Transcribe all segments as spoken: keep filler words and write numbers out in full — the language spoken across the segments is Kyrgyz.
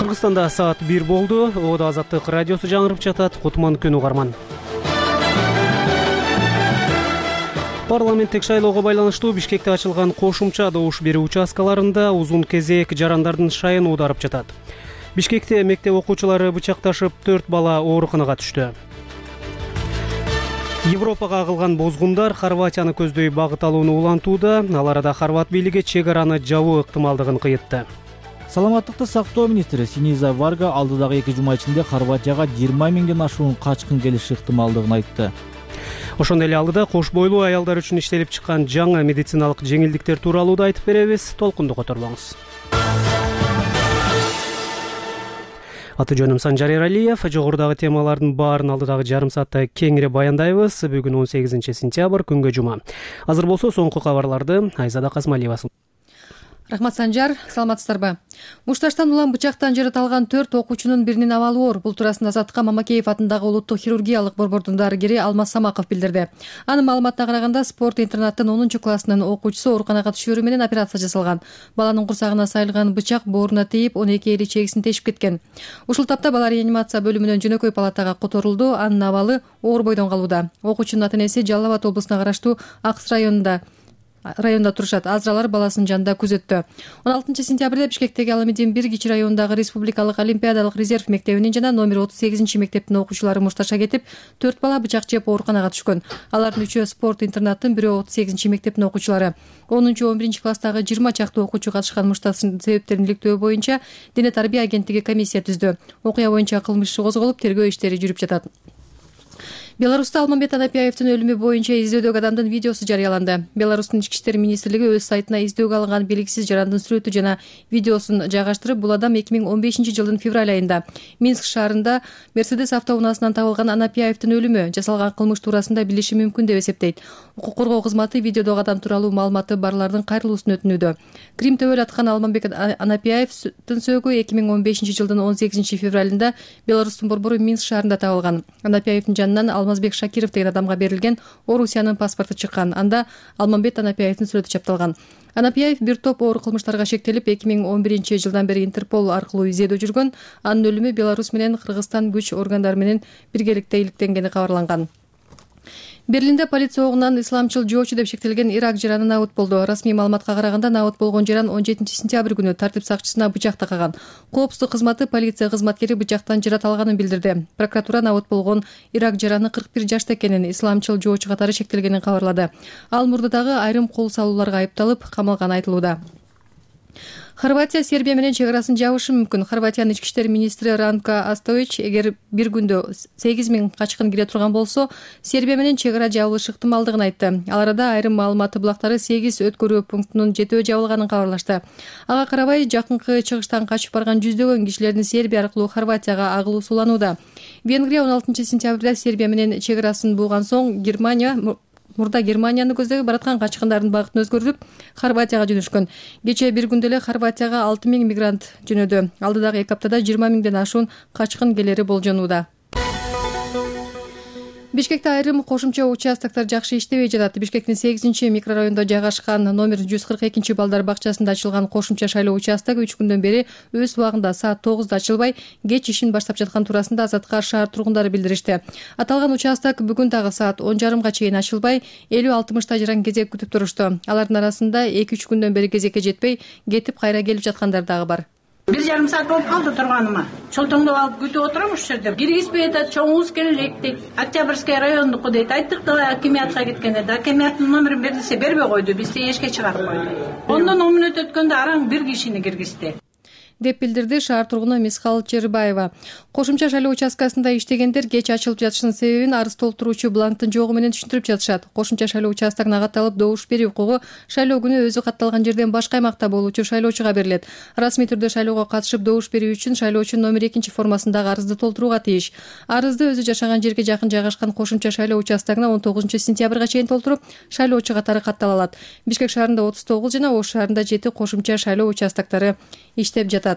Кыргызстанда саат бир болду. Оодо Азаттык радиосу жаңырып жатат. Кутман күнү угарман. Парламенттик шайлоого байланыштуу Бишкекте ачылган кошумча добуш берүү участкаларында узун кезек жарандардын шайын уударып жатат. Бишкекте мектеп окуучулары бычакташып төрт бала ооруканага түштү. Европага агылган бозгундар Хорватияны көздөй багыт алууну улантууда. Ал арада хорват бийлиги чек араны жабуу ыктымалдыгын кыйытты. Саламаттыкты сактоо министри Синиза Варга алдыдагы эки жума ичинде Хорватияга жыйырма миңден ашуун качкын келиши ыктымалдыгын айтты. Ошондой эле алдыда кош бойлуу аялдар үчүн иштелип чыккан жаңы медициналык жеңилдиктер тууралуу да айтып беребиз. Толкунду которбоңуз. Аты жөнүм Санжар Эралиев. Жогорудагы темалардын баарын алдыдагы жарым саатта кеңири баяндайбыз. Бүгүн он сегизинчи сентябрь, күнгө жума. Азыр болсо соңку кабарларды Айзада Казмалиева. Рахмат, Санжар. Саламатсыздарбы? Мушташтан улам бычактан жаратылган төрт окуучунун биринин абалы оор. Бул туурасында Азаттыкка Мамакеев атындагы улуттук хирургиялык борбордун дарыгери Алмаз Самаков билдирди. Анын маалыматына караганда, спорт интернаттын онунчу классынын окуучусу ооруканага түшөрү менен операция жасалган. Баланын курсагына сайылган бычак бооруна тийип, он эки эли чегисин тешип кеткен. Ушул тапта бала реанимация бөлүмүнөн жөнөкөй палатага которулду. Анын абалы оор бойдон калууда. Окуучунун ата-энеси Жалал Абад облусуна караштуу Акс районунда районда турушат. Азыралар баласынын жанында күзөттө. он алтынчы сентябрда Бишкектеги Аламедин бир кичи районундагы Республикалык олимпиадалык резерв мектебинин жана номер отуз сегизинчи мектептин окуучулары мушташа кетип, төрт бала бычак жеп ооруканага түшкөн. Алардын үчөө спорт интернаттын, бирөө отуз сегизинчи мектептин окуучулары. онунчу он биринчи класстагы жыйырма чакты окуучу катышкан мушташтын себептерин иликтөө боюнча Дене тарбия агенттиги комиссия түздү. Окуя боюнча кылмыш иши козголуп, тергөө иштери жүрүп жатат. Беларуста Алмамбет Анапияевдин өлүмү боюнча издөдөгү адамдын видеосу жарыяланды. Беларустун ички иштер министрлиги өз сайтына издөөгө алынган белгисиз жарандын сүрөтү жана видеосун жайгаштырып, бул адам эки миң он бешинчи жылдын февраль айында Минск шаарында Мерседес автоунаасынан табылган Анапияевдин өлүмү жасалган кылмыш туурасында билиши мүмкүн деп эсептейт. Укук коргоо кызматы видеодогу адам тууралуу маалыматы барлардын кайрылуусун өтүнүүдө. Крим төбөл аткан Алмамбет Анапияевдин сөөгү эки миң он бешинчи жылдын он сегизинчи февралында Беларустун борбору Минск шаарында табылган. Анапияевдин жанынан Алмазбек Шакиров деген адамга берилген Орусиянын паспорту чыккан. Анда Алмамбет Анапияевдин сүрөтү чапталган. Анапияев бир топ оор кылмыштарга шектелип, эки миң он биринчи жылдан бери Интерпол аркылуу издөдө жүргөн. Анын өлүмү Беларусь менен Кыргызстан күч органдары менен биргеликте иликтенгени кабарланган. Берлинде полиция огунан исламчыл жоочу деп шектелген Ирак жараны набыт болду. Расмий маалыматка караганда, набыт болгон жаран он жетинчи сентябрь күнү тартип сакчысына бычак такаган. Коопсуздук кызматы полиция кызматкери бычактан жараталганын билдирди. Прокуратура набыт болгон Ирак жараны кырк бир жашта экенин, исламчыл жоочу катары шектелгенин кабарлады. Ал мурдадагы айрым кол салууларга айыпталып, камалганы айтылууда. Хорватия Сербия менен чек арасын жабышы мүмкүн. Хорватиянын ички иштер министри Ранко Астович эгер бир күндө сегиз миң качкын кире турган болсо, Сербия менен чек ара жабылышы ыктымалдыгын айтты. Ал арада айрым маалыматы булактары сегиз өткөрүү пунктунун жетөө жабылганын кабарлашты. Ага карабай, жакынкы чыгыштан качып барган жүздөгөн кишилердин Сербия аркылуу Хорватияга агылуу суланууда. Венгрия он алтынчы сентябрда Сербия менен чек арасын булган соң Германия Мурда Германияны көздөй бараткан качкындардын багытын өзгөртүп, Хорватияга жөнөшкөн. Кечээ бир күндө эле Хорватияга алты миң мигрант жөнөдү. Алдыдагы эки аптада жыйырма миңден ашуун качкын келери болжонууда. Бишкекте айрым кошумча участоктор жакшы иштебей жатат. Бишкектин сегизинчи микрорайонунда жайгашкан номер жүз кырк экинчи балдар бакчасында ачылган кошумча шайлоо участогу үч күндөн бери өз убагында саат тогузда ачылбай, кеч ишин баштап жаткан туурасында Азаттыкка шаар тургундары билдиришти. Аталган участок бүгүн дагы саат он жарымга чейин ачылбай, элүү алтымышта жаран кезек күтүп турушту. Алардын арасында эки үч күндөн бери кезекке жетпей, кетип кайра келип жаткандар дагы бар. Бир жарым саат болуп калды турганыма. Чолтоңдоп алып күтүп отурам ушул жерде. Киргизбей атат, чоңуңуз келе элек дейт. Октябрьский райондуку дейт. Айттык да акимиатка кеткенде да акимиаттын номерин бердисе бербей койду. Бизди эшикке чыгарып койду. Ондон он мүнөт өткөндө араң бир кишини киргизди деп билдирди шаар тургуну Мисхал Чербаева. Кошумча шайлоо участкасында иштегендер кеч ачылып жатышынын себебин арыз толтуруучу бланктын жогу менен түшүндүрүп жатышат. Кошумча шайлоо участогуна катталып добуш берүү укугу шайлоо күнү өзү катталган жерден башка аймакта болуучу шайлоочуга берилет. Расмий түрдө шайлоого катышып добуш берүү үчүн шайлоочу номер экинчи формасындагы арызды толтурууга тийиш. Арызды өзү жашаган жерге жакын жайгашкан кошумча шайлоо участогуна он тогузунчу сентябрга чейин толтуруп, шайлоочу катары каттала алат. Бишкек шаарында отуз тогуз жана Ош шаарында жети кошумча шайлоо участоктору иштеп жатат.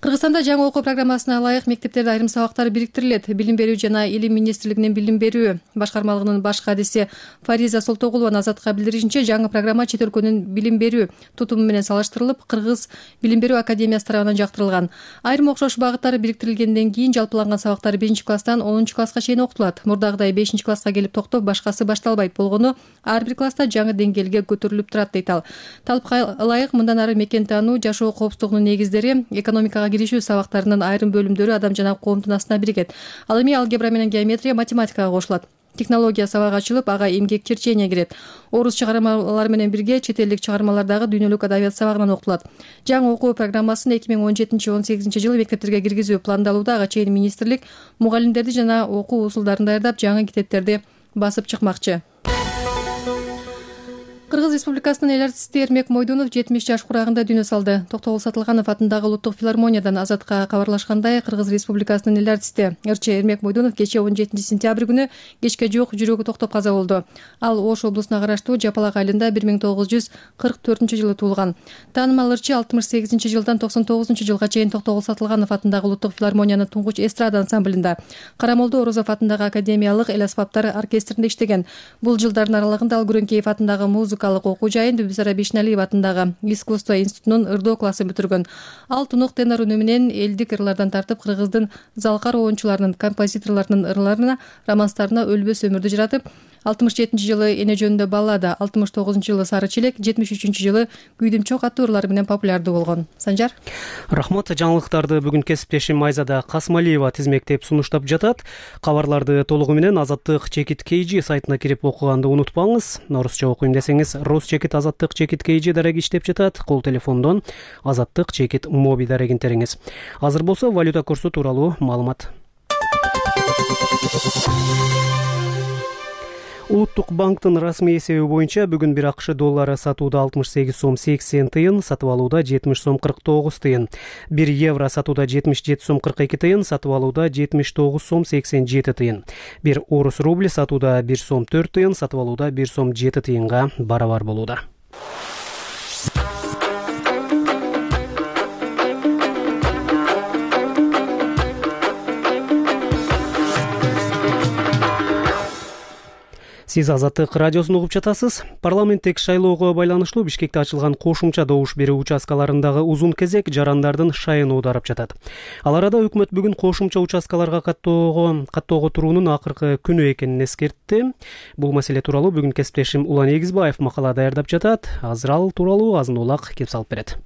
Кыргызстанда жаңы окуу программасына ылайык мектептерде айрым сабактар бириктирилет. Билим берүү жана илим министрлигинин билим берүү башкармалыгынын баш кадиси Фариза Солтогулова Азатка билдиришинче, жаңы программа чет өлкөнүн билим берүү тутуму менен салыштырылып, Кыргыз билим берүү академиясы тарабынан жактырылган. Айрым окшош багыттар бириктирилгенден кийин жалпыланган сабактар биринчи класстан онунчу класска чейин окутулат. Мурдагыдай бешинчи класска келип токтоп, башкасы башталбайт болгону ар бир класста жаңы деңгээлге көтөрүлүп турат дейт ал. Талапка ылайык мындан ары мекен таануу, жашоо коопсуздугунун негиздери, экономикага киришүү сабактарынын айрым бөлүмдөрү адам жана коомдун астына биригет. Ал эми алгебра менен геометрия, математикага кошулат. Технология сабагы ачылып, ага эмгек черчение кирет. Орус чыгармалары менен бирге чет элдик чыгармалардагы дүйнөлүк адабият сабагынан окутулат. Жаңы окуу программасын эки миң он жетинчи он сегизинчи жылы мектептерге киргизүү пландалууда. Ага чейин министрлик мугалимдерди жана окуу усулдарын даярдап, жаңы китептерди басып чыкмакчы. Кыргыз Республикасынын эл артисти Эрмек Мойдунов жетимиш жаш курагында дүйнө салды. Токтогул Сатылганов атындагы Улуттук филармониядан Азатка кабарлашкандай, Кыргыз Республикасынын эл артисти ырчы Эрмек Мойдунов кечээ он жетинчи сентябрь күнү кечке жок жүрөгү токтоп каза болду. Ал Ош облусуна караштуу Жапалак айылында бир миң тогуз жүз кырк төртүнчү жылы туулган. Таанымал ырчы алтымыш сегизинчи жылдан токсон тогузунчу жылга чейин Токтогул Сатылганов атындагы Улуттук филармониянын туңгуч эстрада ансамблинда, Карамолдо Орозов атындагы академиялык эл аспаптар оркестринде иштеген. Бул жылдардын аралыгында ал Күрөңкеев атындагы музыка окуу жайын, Дүбүзара Бишналиев атындагы искусство институтунун ырдоо классын бүтүргөн. Ал тунук тенор үнү менен элдик ырлардан тартып, кыргыздын залкар оончуларынын, композиторлорунун ырларына, романстарына өлбөс өмүрдү жаратып, алтымыш жетинчи жылы Эне жөнүндө баллада, алтымыш тогузунчу жылы Сары челек, жетимиш үчүнчү жылы Күйдүм чок аттуу ырлары менен популярдуу болгон. Санжар. Рахмат. Жаңылыктарды бүгүн кесиптешим Айзада Касмалиева тизмектеп сунуштап жатат. Кабарларды толугу менен Азаттык чекит kg сайтына кирип окуганды унутпаңыз. Орусча окуйм десеңиз, Росчекит Азаттык чекит kg дареги иштеп жатат. Кол телефондон Азаттык чекит моби дарегин териңиз. Азыр болсо валюта курсу тууралуу маалымат. Улуттук банктын расмий эсеби боюнча бүгүн бир акш доллары сатууда алтымыш сегиз сом сексен тыйын, сатып алууда жетимиш сом кырк тогуз тыйын. бир евро сатууда жетимиш жети сом кырк эки тыйын, сатып алууда жетимиш тогуз сом сексен жети тыйын. бир орус рубли сатууда бир сом төрт тыйын, сатып алууда бир сом жети тыйынга барабар болууда. Сиз Азаттык радиосун угуп жатасыз. Парламенттик шайлоого байланыштуу Бишкекте ачылган кошумча добуш берүү участкаларындагы узун кезек жарандардын шайын оодарып жатат. Ал арада өкмөт бүгүн кошумча участкаларга каттоого каттоого туруунун акыркы күнү экенин эскертти. Бул маселе тууралуу бүгүн кесиптешим Улан Эгизбаев макала даярдап жатат. Азыр ал тууралуу азын улак кеп салып берет.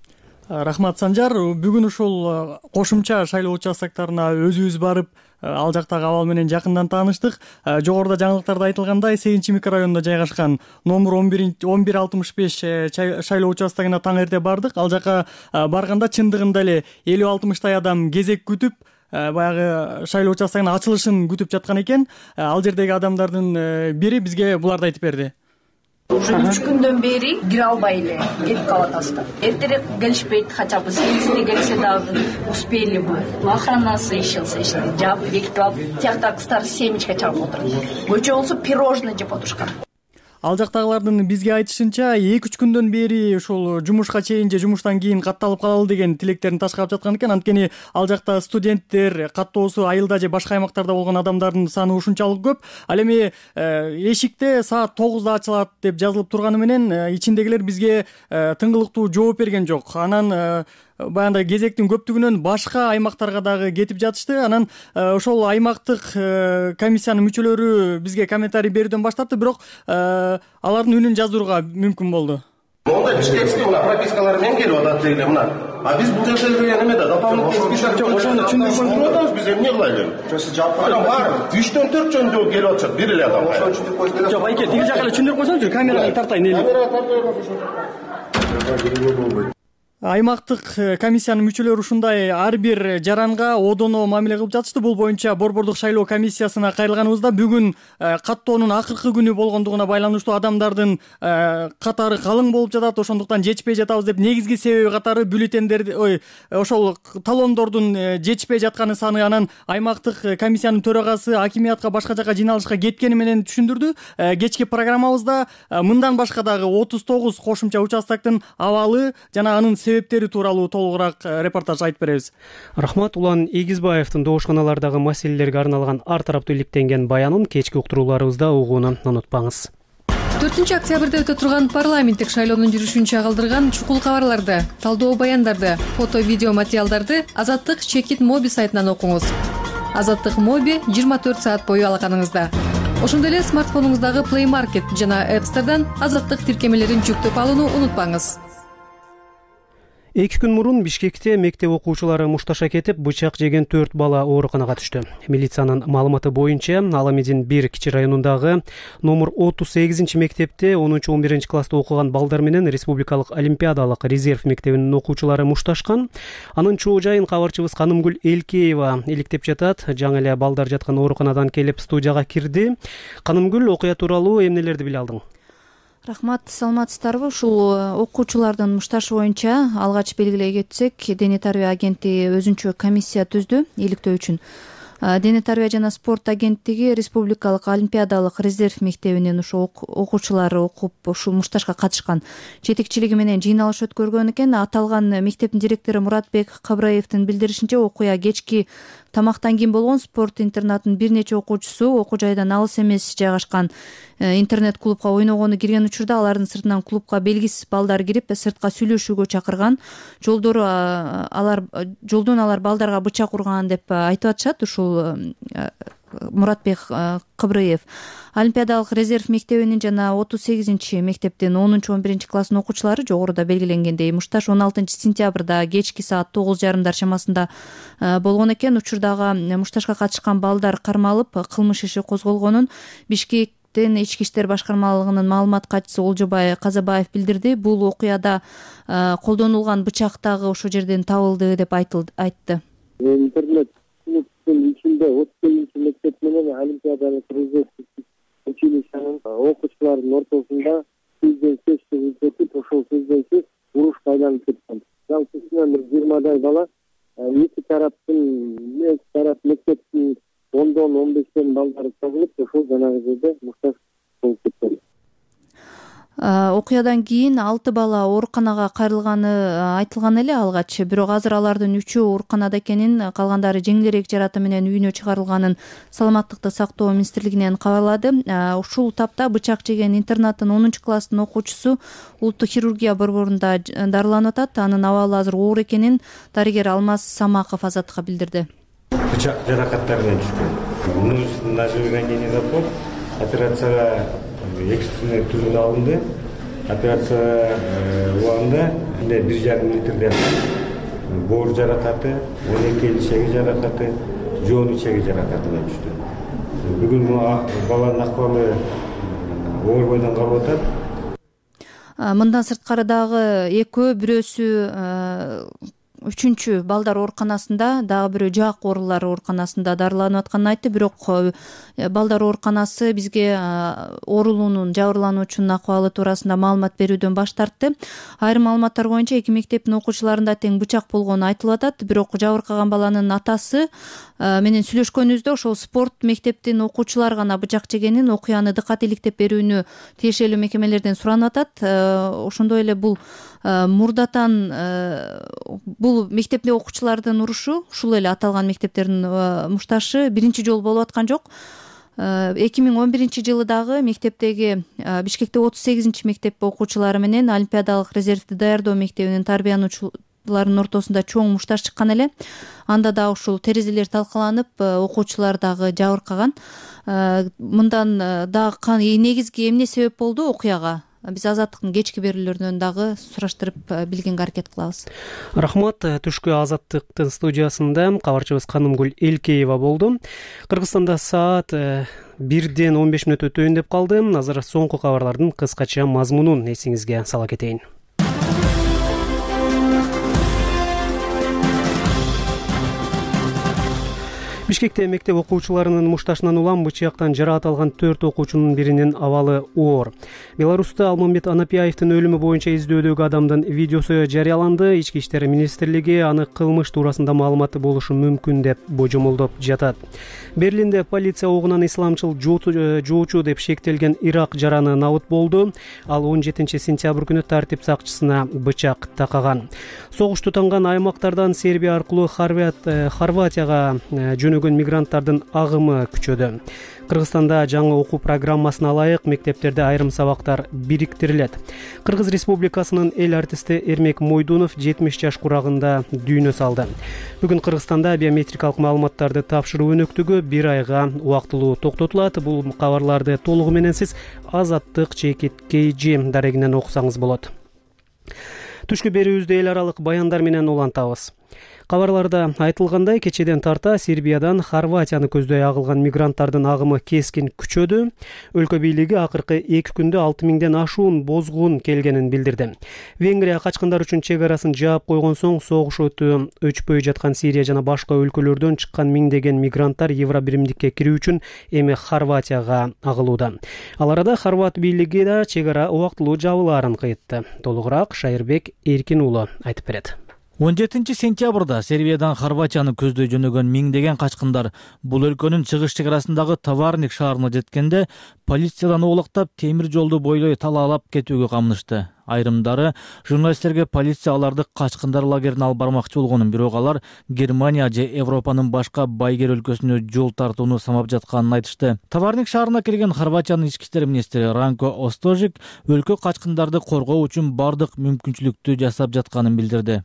Рахмат, Санжар. Бүгүн ушул кошумча шайлоо участкаларына өзүбүз барып, ал жактагы абал менен жакындан тааныштык. Жогоруда жаңылыктарда айтылгандай, сегизинчи микрорайонунда жайгашкан номер он бир алтымыш беш шайлоо участогуна таң эрте бардык. Ал жака барганда чындыгында эле элүү алтымыштай адам кезек күтүп, баягы шайлоо участогунун ачылышын күтүп жаткан экен. Ал жердеги адамдардын бири бизге буларды айтып берди. Уже үч күндөн бери кире албай эле кетип калып атабыз. Эртерээк келишпейт, хотя бы сегизде келсе дагы успели бы. Охранасы ишелсе ишти жаап бекитип алып, тиякта кыздар семечка чагып отуруп. Көчө болсо пирожный жеп отурушкан. Ал жактагылардын бизге айтышынча эки үч күндөн бери ушул жумушка чейин же жумуштан кийин катталып калалы деген тилектерин ташкалап жаткан экен. Анткени ал жакта студенттер каттоосу айылда же башка аймактарда болгон адамдардын саны ушунчалык көп. Ал эми эшикте саат тогузда ачылат деп жазылып турганы менен ичиндегилер бизге тыңгылыктуу жооп берген жок. Анан баягындай кезектин көптүгүнөн башка аймактарга дагы кетип жатышты. Анан ошол аймактык комиссиянын мүчөлөрү бизге комментарий берүүдөн баш тартты, бирок алардын үнүн жаздырууга мүмкүн болду. Монда бишкекте мына пропискалар менен келип атат эле мына. А биз бул жерде неме да дополнительный список жок. Ошону түшүндүрүп атабыз, биз эмне кылайлы? Жосы жап. Анан бар үчтөн төрт жөн келип атышат бир эле адам. Ошону түшүндүрүп койсоңуз. Жок, айке, тиги жака эле түшүндүрүп койсоңузчу, камерага тартайын эле. Камерага тартай койсоңуз. Аймактык комиссиянын мүчөлөрү ушундай ар бир жаранга одоно мамиле кылып жатышты. Бул боюнча Борбордук шайлоо комиссиясына кайрылганыбызда бүгүн каттоонун акыркы күнү болгондугуна байланыштуу адамдардын катары калың болуп жатат. Ошондуктан жетишпей жатабыз деп негизги себеби катары бюллетендерди, ой, ошол талондордун жетишпей жатканы саны. Анан аймактык комиссиянын төрагасы акимиятка башка жака жыйналышка кеткени менен түшүндүрдү. Кечки программабызда мындан башка дагы отуз тогуз кошумча участоктун абалы жана анын себептери тууралуу толугураак репортаж айтып беребиз. Рахмат. Улан Эгизбаевдин добушканалардагы маселелерге арналган ар тараптуу иликтенген баянын кечки уктурууларыбызда угууну унутпаңыз. төртүнчү октябрда өтө турган парламенттик шайлоонун жүрүшүн чагылдырган чукул кабарларды, талдоо баяндарды, фото видео материалдарды Азаттык Чекит Моби сайтынан окуңуз. Азаттык Моби жыйырма төрт саат бою алаканыңызда. Ошондой эле смартфонуңуздагы Play Market жана App Store'дан Азаттык тиркемелерин жүктөп алууну унутпаңыз. Эки күн мурун Бишкекте мектеп окуучулары мушташа кетип, бычак жеген төрт бала ооруканага түштү. Милициянын маалыматы боюнча, Аламедин бир кичи районундагы номер отуз сегизинчи мектепте онунчу он биринчи класста окуган балдар менен Республикалык олимпиадалык резерв мектебинин окуучулары мушташкан. Анын чоо жайын кабарчыбыз Канымгүл Элкеева иликтеп жатат. Жаңы эле балдар жаткан ооруканадан келип студияга кирди. Канымгүл, окуя тууралуу эмнелерди биле алдың? Рахмат, саламатсыздарбы? Ушул окуучулардын мушташы боюнча алгач белгилей кетсек, Дене тарбия агенттиги өзүнчө комиссия түздү иликтөө үчүн. Дене тарбия жана спорт агенттиги Республикалык олимпиадалык резерв мектебинин ушу окуучулары окуп ушул мушташка катышкан жетекчилиги менен жыйналыш өткөргөн экен. Аталган мектептин директору Муратбек Кабраевдин билдиришинче, окуя кечки тамактан кийин болгон. Спорт интернатынын бир нече окуучусу окуу жайдан алыс эмес жайгашкан интернет клубка ойногону кирген учурда алардын сыртынан клубка белгисиз балдар кирип, сыртка сүйлөшүүгө чакырган. Жолдору алар жолдон алар балдарга бычак урган деп айтып атышат. Ушул Муратбек Кабраев олимпиадалык резерв мектебинин жана отуз сегизинчи мектептин онунчу он биринчи класстын окуучулары жогоруда белгиленгендей мушташ он алтынчы сентябрда кечки саат тогуз жарымдар чамасында болгон экен. Учурдагы мушташка катышкан балдар кармалып, кылмыш иши козголгонун Бишкек Ички иштер башкармалыгынын маалымат катчысы Олжобай Казабаев билдирди. Бул окуяда колдонулган бычак дагы ошол жерден табылды деп айтты. Интернет клубдун ичинде отуз сегизинчи мектеп менен олимпиадалык резерв училищенин окуучуларынын ортосунда сөздөн сөз өтүп, ошол сөздөн сөз урушка айланып кеткен. Жалпысынан бир жыйырмадай бала эки тараптын эки тарап мектептин ондон он бештен балдары чогулуп, ошол жанагы жерде мушташ болуп кеткен. Окуядан кийин алты бала ооруканага кайрылганы айтылган эле алгач, бирок азыр алардын үчөө ооруканада экенин, калгандары жеңилирээк жараты менен үйүнө чыгарылганын Саламаттыкты сактоо министрлигинен кабарлады. Ушул тапта бычак жеген интернаттын онунчу класстын окуучусу улуттук хирургия борборунда дарыланып атат. Анын абалы азыр оор экенин дарыгер Алмаз Самаков Азаттыкка билдирди. Бычак жаракаттарынан түшкөн. Множественный ножевой ранение запор. Операцияга экстренный түрүндө алынды. Операция убагында бир жарым литрден боор жаракаты, он эки ичеги жаракаты, жоон ичеги жаракаты менен түштү. Бүгүн баланын акыбалы оор бойдон калып атат. Мындан сырткары дагы экөө, бирөөсү үчүнчү балдар ооруканасында, дагы бирөө жаак оорулар ооруканасында дарыланып атканын айтты. Бирок балдар ооруканасы бизге оорулуунун жабырлануучунун акыбалы туурасында маалымат берүүдөн баш тартты. Айрым маалыматтар боюнча эки мектептин окуучуларында тең бычак болгону айтылып атат. Бирок жабыркаган баланын атасы менен сүйлөшкөнүбүздө ошол спорт мектептин окуучулары гана бычак жегенин, окуяны дыкат иликтеп берүүнү тиешелүү мекемелерден суранып атат. Ошондой эле бул мурдатан бул мектепте окуучулардын урушу, ушул эле аталган мектептердин мушташы биринчи жолу болуп аткан жок. эки миң он биринчи жылы дагы мектептеги Бишкекте отуз сегизинчи мектеп окуучулары менен олимпиадалык резервди даярдоо мектебинин тарбиянуучуларынын ортосунда чоң мушташ чыккан эле. Анда да ушул терезелер талкаланып, окуучулар дагы жабыркаган. Мындан дагы негизги эмне себеп болду окуяга? Биз Азаттыктын кечки берүүлөрүнөн дагы сураштырып билгенге аракет кылабыз. Рахмат. Түшкү Азаттыктын студиясында кабарчыбыз Канымгүл Элкеева болду. Кыргызстанда саат бирден он беш мүнөт өтөйүн деп калды. Азыр соңку кабарлардын кыскача мазмунун эсиңизге сала кетейин. Бишкекте мектеп окуучуларынын мушташынан улам бычактан жараат алган төрт окуучунун биринин абалы оор. Беларусьта Алмамбет Анапияевдин өлүмү боюнча издөөдөгү адамдын видеосу жарыяланды. Ички иштер министрлиги аны кылмыш туурасында маалыматы болушу мүмкүн деп божомолдоп жатат. Берлинде полиция огунан исламчыл жоочу деп шектелген Ирак жараны набыт болду. Ал он жетинчи сентябрь күнү тартип сакчысына бычак такаган. Согуш тутанган аймактардан Сербия аркылуу Хорватияга жөнөгөн мигранттардын агымы күчөдү. Кыргызстанда жаңы окуу программасына ылайык мектептерде айрым сабактар бириктирилет. Кыргыз Республикасынын эл артисти Эрмек Мойдунов жетимиш жаш курагында дүйнө салды. Бүгүн Кыргызстанда биометрикалык маалыматтарды тапшыруу өнөктүгү бир айга убактылуу токтотулат. Бул кабарларды толугу менен сиз Азаттык чекит кейжи дарегинен окусаңыз болот. Түшкү берүүбүздө эл аралык баяндар менен улантабыз. Кабарларда айтылгандай, кечеден тарта Сербиядан Хорватияны көздөй агылган мигранттардын агымы кескин күчөдү. Өлкө бийлиги акыркы эки күндө алты миңден ашуун бозгун келгенин билдирди. Венгрия качкындар үчүн чек арасын жаап койгон соң согуш өтү өчпөй жаткан Сирия жана башка өлкөлөрдөн чыккан миңдеген мигранттар Евро биримдикке кирүү үчүн эми Хорватияга агылууда. Ал арада хорват бийлиги да чек ара убактылуу жабылаарын кыйтты. Толугураак Шайырбек Эркин уулу айтып берет. он жетинчи сентябрда Сербиядан Хорватияны көздөй жөнөгөн миңдеген качкындар бул өлкөнүн чыгыш чек арасындагы Товарник шаарына жеткенде полициядан оолактап темир жолду бойлой талаалап кетүүгө камынышты. Айрымдары журналисттерге полиция аларды качкындар лагерине алып бармакчы болгонун, бирок алар Германия же Европанын башка байгер өлкөсүнө жол тартууну самап жатканын айтышты. Товарник шаарына келген Хорватиянын ички иштер министри Ранко Остожик өлкө качкындарды коргоо үчүн бардык мүмкүнчүлүктү жасап жатканын билдирди.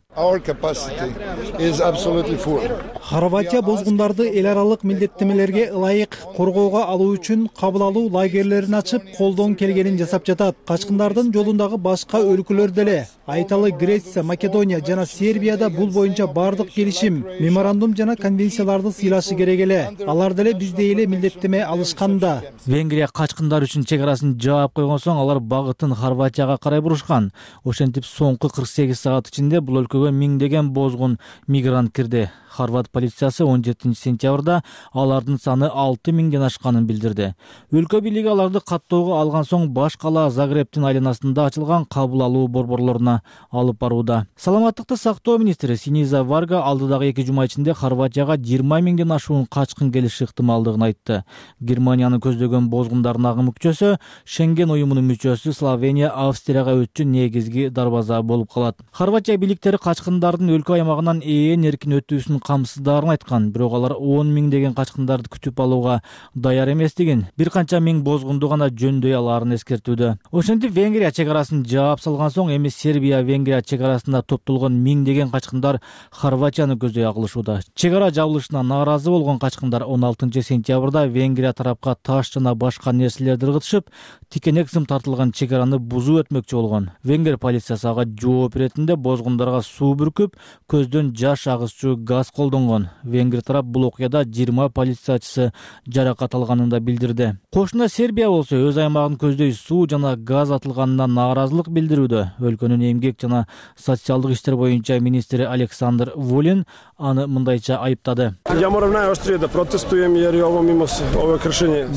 Хорватия бозгундарды эл аралык милдеттемелерге ылайык коргоого алуу үчүн кабыл алуу лагерлерин ачып, колдон келгенин жасап жатат. Качкындардын жолундагы башка өлкөлөр деле, айталы Греция, Македония жана Сербияда бул боюнча бардык келишим, меморандум жана конвенцияларды сыйлашы керек эле. Алар деле биздей эле милдеттеме алышканда. Венгрия качкындар үчүн чек арасын жаап койгон соң алар багытын Хорватияга карай бурушкан. Ошентип соңку кырк сегиз саат ичинде бул өлкөгө миңдеген бозгун мигрант кирди. Хорват полициясы он жетинчи сентябрда алардын саны алты миңден ашканын билдирди. Өлкө бийлиги аларды каттоого алган соң баш кала Загребтин айланасында ачылган кабыл алуу борборлоруна алып барууда. Саламаттыкты сактоо министри Синиза Варга алдыдагы эки жума ичинде Хорватияга жыйырма миңден ашуун качкын келиши ыктымалдыгын айтты. Германияны көздөгөн бозгундардын агымы күчөсө, Шенген уюмунун мүчөсү Словения Австрияга өтчү негизги дарбаза болуп калат. Хорватия бийликтери качкындардын өлкө аймагынан ээн эркин өтүүсүн камсыздарын айткан, бирок алар он миңдеген качкындарды күтүп алууга даяр эместигин, бир канча миң бозгунду гана жөндөй алаарын эскертүүдө. Ошентип Венгрия чек арасын жаап салган соң эми Сербия Венгрия чек арасында топтолгон миңдеген качкындар Хорватияны көздөй агылышууда. Чек ара жабылышына нааразы болгон качкындар он алтынчы сентябрда Венгрия тарапка таш жана башка нерселерди ыргытышып, тикенек сым тартылган чек араны бузуп өтмөкчү болгон. Венгер полициясы ага жооп беретинде бозгундарга суу бүркүп, көздөн жаш агызчу газ колдонгон. Венгер тарап бул окуяда жыйырма полициячысы жаракат алганын да билдирди. Кошуна Сербия болсо өз аймагын көздөй суу жана газ атылганына нааразылык билдирүүдө. Өлкөнүн эмгек жана социалдык иштер боюнча министри Александр Вулин аны мындайча айыптады.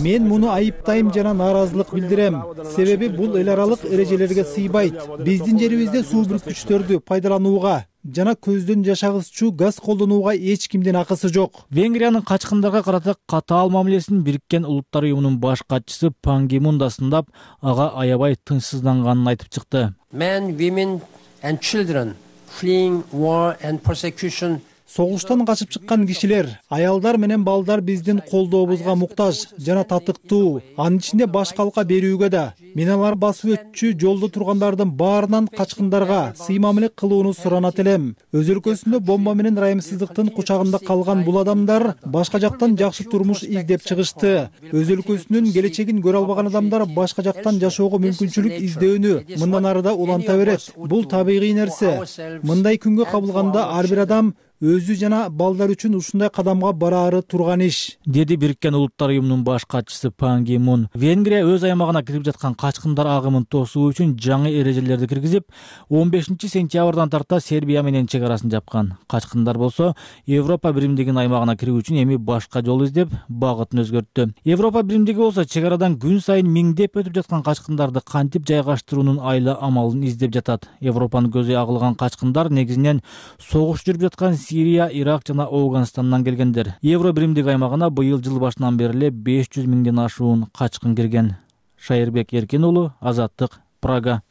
Мен муну айыптайм жана нааразылык билдирем. Себеби бул эл аралык эрежелерге сыйбайт. Биздин жерибизде суу бүркүчтөрдү пайдаланууга жана көздөн жашагызчу газ колдонууга эч кимдин акысы жок. Венгриянын качкындарга карата катаал мамилесин Бириккен Улуттар уюмунун баш катчысы Пан Ги Мун да сындап, ага аябай тынчсызданганын айтып чыкты. Men, women and children fleeing war and persecution. Согуштан качып чыккан кишилер, аялдар менен балдар биздин колдообузга муктаж жана татыктуу, анын ичинде баш калка берүүгө да. Мен алар басып өтчү жолдо тургандардын баарынан качкындарга сый мамиле кылууну суранат элем. Өз өлкөсүндө бомба менен ырайымсыздыктын кучагында калган бул адамдар башка жактан жакшы турмуш издеп чыгышты. Өз өлкөсүнүн келечегин көрө албаган адамдар башка жактан жашоого мүмкүнчүлүк издөөнү мындан ары да уланта берет. Бул табигый нерсе. Мындай күнгө кабылганда ар бир адам өзү жана балдар үчүн ушундай кадамга бараары турган иш, деди Бириккен Улуттар уюмунун баш катчысы Пан Ги Мун. Венгрия өз аймагына кирип жаткан качкындар агымын тосуу үчүн жаңы эрежелерди киргизип, он бешинчи сентябрдан тарта Сербия менен чек арасын жапкан. Качкындар болсо Европа биримдигинин аймагына кирүү үчүн эми башка жол издеп, багытын өзгөрттү. Европа биримдиги болсо чек арадан күн сайын миңдеп өтүп жаткан качкындарды кантип жайгаштыруунун айла амалын издеп жатат. Европанын көзү агылган качкындар негизинен согуш жүрүп жаткан Сирия, Ирак жана Афганистандан келгендер. Евро биримдик аймагына быйыл жыл башынан бери эле беш жүз миңден ашуун качкын кирген. Шайырбек Эркин уулу, Азаттык, Прага.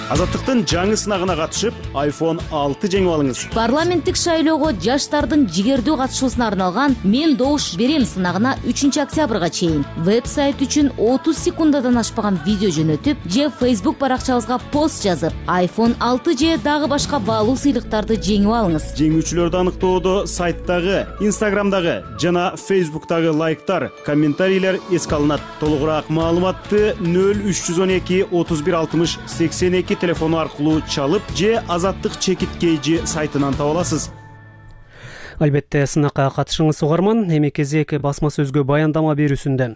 Азаттыктын жаңы сынагына катышып, айфон алты жеңип алыңыз. Парламенттик шайлоого жаштардын жигердүү катышуусуна арналган «Мен добуш берем» сынагына үчүнчү октябрга чейин веб-сайт үчүн отуз секундадан ашпаган видео жөнөтүп же Facebook баракчабызга пост жазып, айфон алты же дагы башка баалуу сыйлыктарды жеңип алыңыз. Жеңүүчүлөрдү аныктоодо сайттагы, Instagramдагы жана Facebooktагы лайктар, комментарийлер эске алынат. Толугураак маалыматты нөл үч жүз он эки отуз бир алтымыш сексен эки телефону аркылуу чалып же Азаттык чекиткейжи сайтынан таба аласыз. Албетте сынакка катышыңыз угарман. Эми кезек басма сөзгө баяндама берүүсүндө.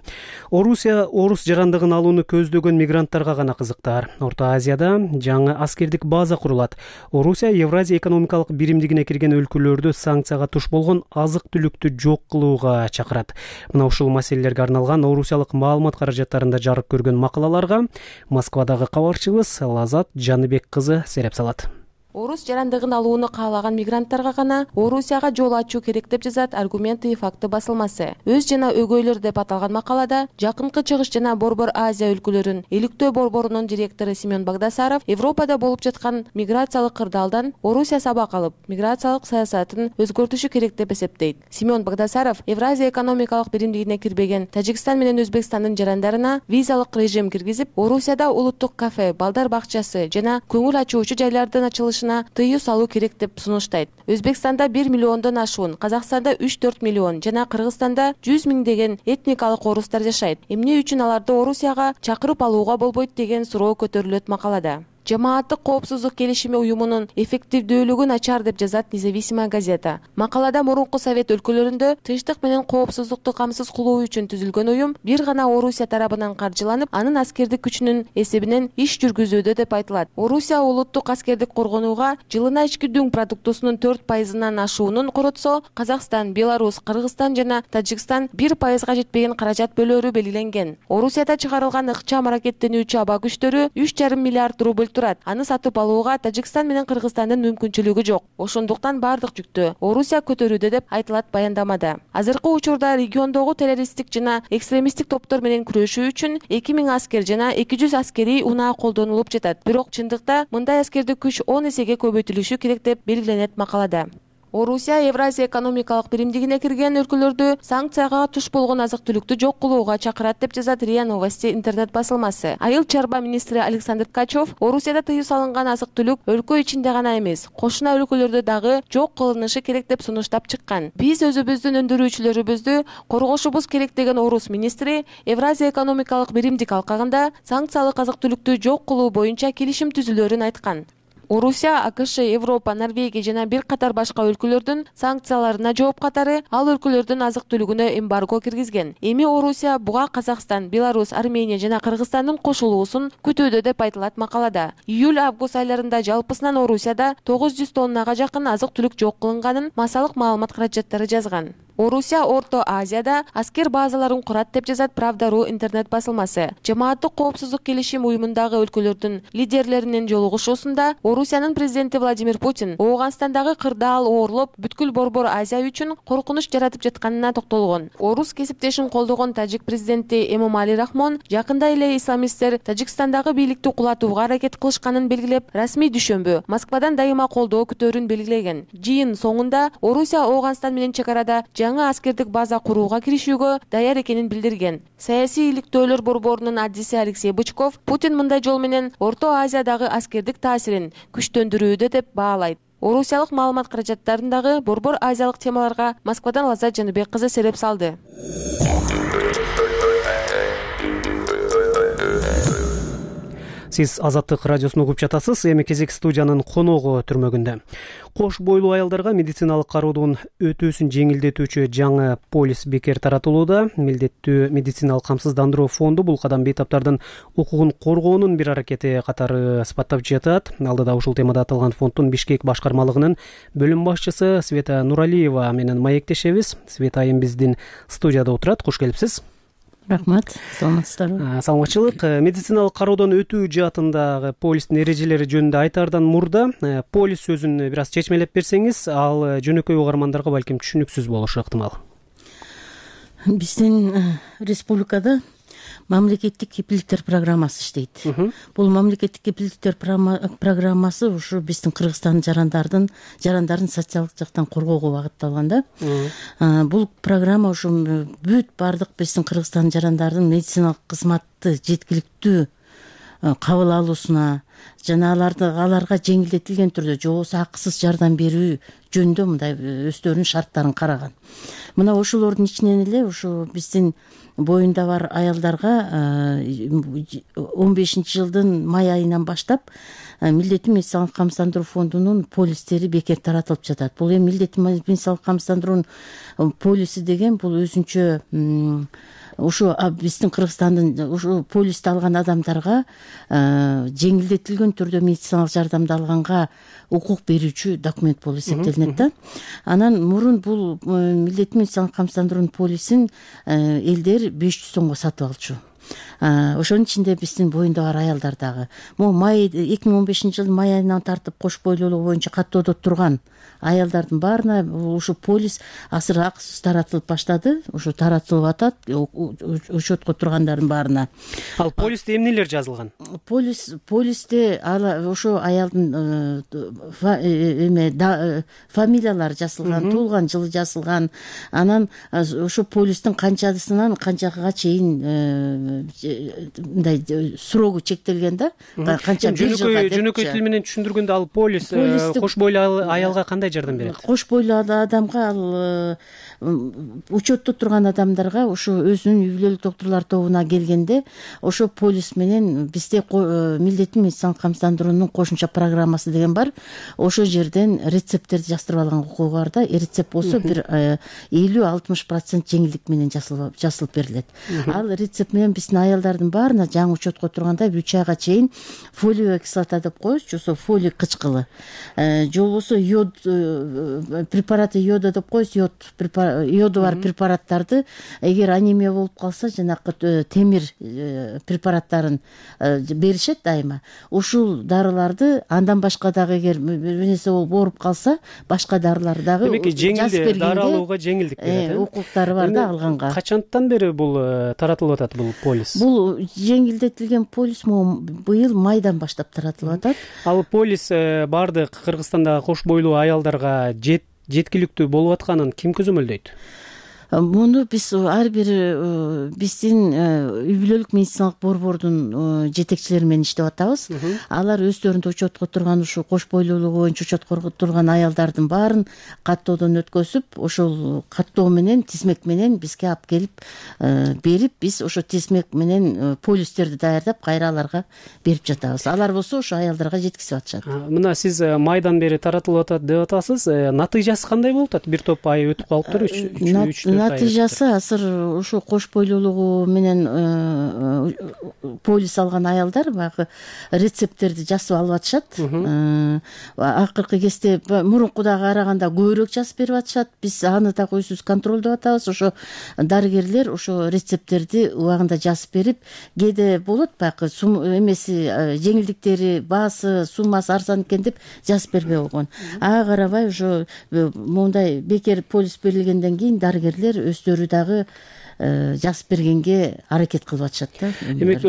Орусия орус жарандыгын алууну көздөгөн мигранттарга гана кызыктар. Орто Азияда жаңы аскердик база курулат. Орусия Евразия экономикалык биримдигине кирген өлкөлөрдү санкцияга туш болгон азык-түлүктү жок кылууга чакырат. Мына ушул маселелерге арналган орусиялык маалымат каражаттарында жарык көргөн макалаларга Москвадагы кабарчыбыз Лазат Жаныбек кызы сереп салат. Орус жарандыгын алууну каалаган мигранттарга гана Орусияга жол ачуу керек деп жазат Аргументы и факты басылмасы. Өз жана өгөйлөр деп аталган макалада Жакынкы Чыгыш жана Борбор Азия өлкөлөрүнүн Иликтөө борборунун директору Семен Багдасаров Европада болуп жаткан миграциялык кырдаалдан Орусия сабак алып, миграциялык саясатын өзгөртүшү керек деп эсептейт. Семен Багдасаров Евразия экономикалык биримдигине кирбеген Тажикстан менен Өзбекстандын жарандарына визалык режим киргизип, Орусияда улуттук кафе, балдар бакчасы жана көңүл ачуучу жайлардын ачылышы тыюу салуу керек деп сунуштайт. Өзбекстанда бир миллиондон ашуун, Казакстанда үч төрт миллион жана Кыргызстанда жүз миңдеген этникалык орустар жашайт. Эмне үчүн аларды Орусияга чакырып алууга болбойт деген суроо көтөрүлөт макалада. Жамааттык коопсуздук келишими уюмунун эффективдүүлүгү начар деп жазат Независимая газета. Макалада мурунку совет өлкөлөрүндө тынчтык менен коопсуздукту камсыз кылуу үчүн түзүлгөн уюм бир гана Орусия тарабынан каржыланып, анын аскердик күчүнүн эсебинен иш жүргүзүүдө деп айтылат. Орусия улуттук аскердик коргонууга жылына ички дүң продуктусунун төрт пайызынан ашуунун коротсо, Казакстан, Беларусь, Кыргызстан жана Тажикстан бир пайызга жетпеген каражат бөлөөрү белгиленген. Орусияда чыгарылган ыкчам аракеттенүүчү аба күчтөрү үч жарым миллиард рубль турат. Аны сатып алууга Тажикстан менен Кыргызстандын мүмкүнчүлүгү жок. Ошондуктан бардык жүктү Орусия көтөрүүдө деп айтылат баяндамада. Азыркы учурда региондогу террористтик жана экстремисттик топтор менен күрөшүү үчүн эки миң аскер жана эки жүз аскерий унаа колдонулуп жатат. Бирок чындыкта мындай аскердик күч он эсеге көбөйтүлүшү керек деп белгиленет макалада. Орусия Евразия экономикалык биримдигине кирген өлкөлөрдү санкцияга туш болгон азык-түлүктү жок кылууга чакырат деп жазат РИА Новости интернет басылмасы. Айыл чарба министри Александр Ткачев Орусияда тыюу салынган азык-түлүк өлкө ичинде гана эмес, кошуна өлкөлөрдө дагы жок кылынышы керек деп сунуштап чыккан. Биз өзүбүздүн өндүрүүчүлөрүбүздү коргошубуз керек деген орус министри Евразия экономикалык биримдик алкагында санкциялык азык-түлүктү жок кылуу боюнча келишим түзүлөөрүн айткан. Орусия, АКШ, Европа, Норвегия жана бир катар башка өлкөлөрдүн санкцияларына жооп катары ал өлкөлөрдүн азык-түлүгүнө эмбарго киргизген. Эми Орусия буга Казакстан, Беларусь, Армения жана Кыргызстандын кошулуусун күтүүдө деп айтылат макалада. Июль-август айларында жалпысынан Орусияда тогуз жүз тоннага жакын азык-түлүк жок кылынганын массалык маалымат каражаттары жазган. Орусия Орто Азияда аскер базаларын курат деп жазат Правда.ру интернет басылмасы. Жамааттык коопсуздук келишим уюмундагы өлкөлөрдүн лидерлеринин жолугушуусунда Орусиянын президенти Владимир Путин Ооганстандагы кырдаал оорлоп бүткүл Борбор Азия үчүн коркунуч жаратып жатканына токтолгон. Орус кесиптешин колдогон тажик президенти Эмомали Рахмон жакында эле исламисттер Тажикстандагы бийликти кулатууга аракет кылышканын белгилеп, расмий дүшөмбү Москвадан дайыма колдоо күтөөрүн белгилеген. Жыйын соңунда Орусия Ооганстан менен чек арада жаңы аскердик база курууга киришүүгө даяр экенин билдирген. Саясий иликтөөлөр борборунун аддиси Алексей Бычков Путин мындай жол менен Орто Азиядагы аскердик таасирин күчтөндүрүүдө деп баалайт. Орусиялык маалымат каражаттарындагы борбор азиялык темаларга Москвадан Лазат Жаныбек кызы сереп салды. Сиз Азаттык радиосун угуп жатасыз. Эми кезек студиянын коногу түрмөгүндө. Кош бойлуу аялдарга медициналык кароодун өтүүсүн жеңилдетүүчү жаңы полис бекер таратылууда. Милдеттүү медициналык камсыздандыруу фонду бул кадам бейтаптардын укугун коргоонун бир аракети катары сыпаттап жатат. Алдыда ушул темада аталган фонддун Бишкек башкармалыгынын бөлүм башчысы Света Нуралиева менен маектешебиз. Света айым биздин студияда отурат. Куш келипсиз. Рахмат, саламатсыздарбы. Саламатчылык. Медициналык кароодон өтүү жаатындагы полистин эрежелери жөнүндө айтаардан мурда полис сөзүн бир аз чечмелеп берсеңиз, ал жөнөкөй угармандарга балким түшүнүксүз болушу ыктымал. Биздин республикада мамлекеттик кепилдиктер программасы иштейт. Бул мамлекеттик кепилдиктер программасы ушу биздин Кыргызстандын жарандардын жарандарын социалдык жактан коргоого багытталган да. Бул программа ушу бүт бардык биздин Кыргызстандын жарандардын медициналык кызматты жеткиликтүү кабыл алуусуна жана аларды аларга жеңилдетилген түрдө же болбосо акысыз жардам берүү жөнүндө мындай өздөрүнүн шарттарын караган. Мына ошолордун ичинен эле ушу биздин боюнда бар аялдарга он бешинчи жылдын май айынан баштап милдеттүү медициналык камсыздандыруу фондунун полистери бекер таратылып жатат. Бул эми милдеттүү медициналык камсыздандыруунун полиси деген бул өзүнчө ушу биздин Кыргызстандын ушу полисти алган адамдарга жеңилдетилген түрдө медициналык жардамды алганга укук берүүчү документ болуп эсептелинет да. Анан мурун бул милдеттүү медициналык камсыздандыруунун полисин элдер беш жүз сомго сатып алчу. Ошонун ичинде биздин боюнда бар аялдар дагы. Могу май эки миң он бешинчи жылдын май айынан тартып кош бойлуулугу боюнча каттоодо турган аялдардын баарына ушу полис азыр акысыз таратылып баштады. Ушу таратылып атат учетко тургандардын баарына. Ал полисте эмнелер жазылган? Полис полисте ошо аялдын эме фамилиялары жазылган, туулган жылы жазылган. Анан ошо полистин канчасынан канчага чейин мындай срогу чектелген да. Канча бир жылга деп. Жөнөкөй тил менен түшүндүргөндө ал полис кош бойлуу аялга кандай жардам берет? Кош бойлуу адамга ал учетто турган адамдарга ошо өзүнүн үй бүлөлүк доктурлар тобуна келгенде ошо полис менен бизде милдеттүү медициналык камсыздандыруунун кошумча программасы деген бар. Ошо жерден рецепттерди жаздырып алган укугу бар да. Рецепт болсо бир элүү алтымыш процент жеңилдик менен жасалып берилет. Ал рецепт менен биздин аялдардын баарына жаңы учетко турганда үч айга чейин фолиевая кислота деп коебуз, жосо фолий кычкылы, же болбосо йод препараты йода деп коебуз, йод йоду бар препараттарды эгер анемия болуп калса жанакы темир препараттарын беришет дайыма. Ушул дарыларды андан башка дагы эгер бир нерсе болуп ооруп калса башка дарыларды дагы жеңилдик дары алууга жеңилдик берет. Укуктары бар да алганга. Качандан бери бул таратылып атат бул полис? Бул жеңилдетилген полис быйыл майдан баштап таратылып атат. Ал полис бардык Кыргызстандагы кош бойлуу аялдарга жеткиликтүү болуп атканын ким көзөмөлдөйт? Муну биз ар бир биздин үй бүлөлүк медициналык борбордун жетекчилери менен иштеп атабыз. Алар өздөрүндө учетко турган ушу кош бойлуулугу боюнча учетко турган аялдардын баарын каттоодон өткөзүп, ошол каттоо менен тизмек менен бизге алып келип берип, биз ошо тизмек менен полистерди даярдап кайра аларга берип жатабыз. Алар болсо ошо аялдарга жеткизип атышат. Мына сиз майдан бери таратылып атат деп атасыз. Натыйжасы кандай болуп атат? Бир топ ай өтүп калыптыр, үч натыйжасы азыр ушу кош бойлуулугу менен полис алган аялдар баягы рецепттерди жазып алып атышат. Акыркы кезде мурункудагы караганда көбүрөөк жазып берип атышат. Биз аны дагы өзүбүз контролдоп атабыз. Ошо дарыгерлер ошо рецепттерди убагында жазып берип, кээде болот баягы эмеси жеңилдиктери, баасы, суммасы арзан экен деп жазып бербей койгон. Ага карабай ошо моундай бекер полис берилгенден кийин дарыгерлер өздөрү дагы жазып бергенге аракет кылып атышат да. Демек,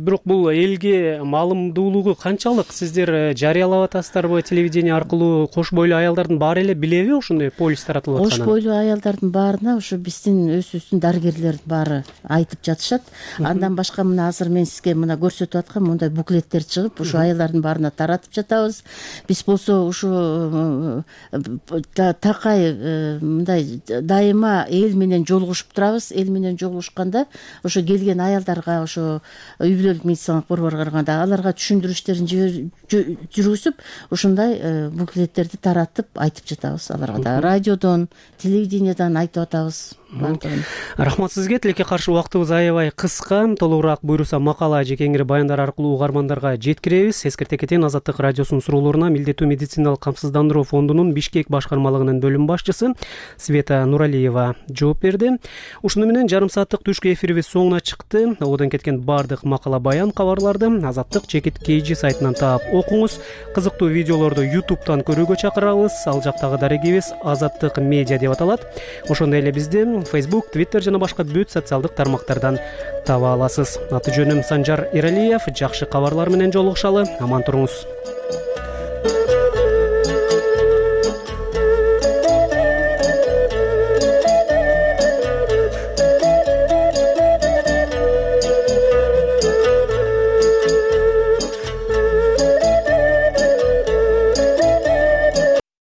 бирок бул элге маалымдуулугу канчалык? Сиздер жарыялап атасыздарбы телевидение аркылуу? Кош бойлуу аялдардын баары эле билеби ошондой полис таратылып атканын? Кош бойлуу аялдардын баарына ушу биздин өзүбүздүн дарыгерлердин баары айтып жатышат. Андан башка мына азыр мен сизге мына көрсөтүп аткан мындай буклеттер чыгып, ушу аялдардын баарына таратып жатабыз. Биз болсо ушу такай мындай дайыма эл менен жолугушуп турабыз. Эл менен жолугушканда ошо келген аялдарга ошо үй бүлөлүк медициналык борборго барганда аларга түшүндүрүштөрүн жүргүзүп ушундай буклеттерди таратып айтып жатабыз аларга да радиодон телевидениядан айтып атабыз. Рахмат сизге. Тилекке каршы убактыбыз аябай кыска. Толугураак буйруса макала же кеңири баяндар аркылуу угармандарга жеткиребиз. Эскерте кетейин, Азаттык радиосунун суроолоруна Милдеттүү медициналык камсыздандыруу фондунун Бишкек башкармалыгынын бөлүм башчысы Света Нуралиева жооп берди. Ушуну менен жарым сааттык түшкү эфирибиз соңуна чыкты. Одон кеткен бардык макала баян кабарларды Азаттык Жекит Кейжи сайтынан таап окуңуз. Кызыктуу видеолорду ютубтан көрүүгө чакырабыз. Ал жактагы дарегибиз Азаттык медиа деп аталат. Ошондой эле бизди Facebook, Twitter жана башка бүт социалдык тармактардан таба аласыз. Аты жөнүм Санжар Эралиев. Жакшы кабарлар менен жолугушалы. Аман туруңуз.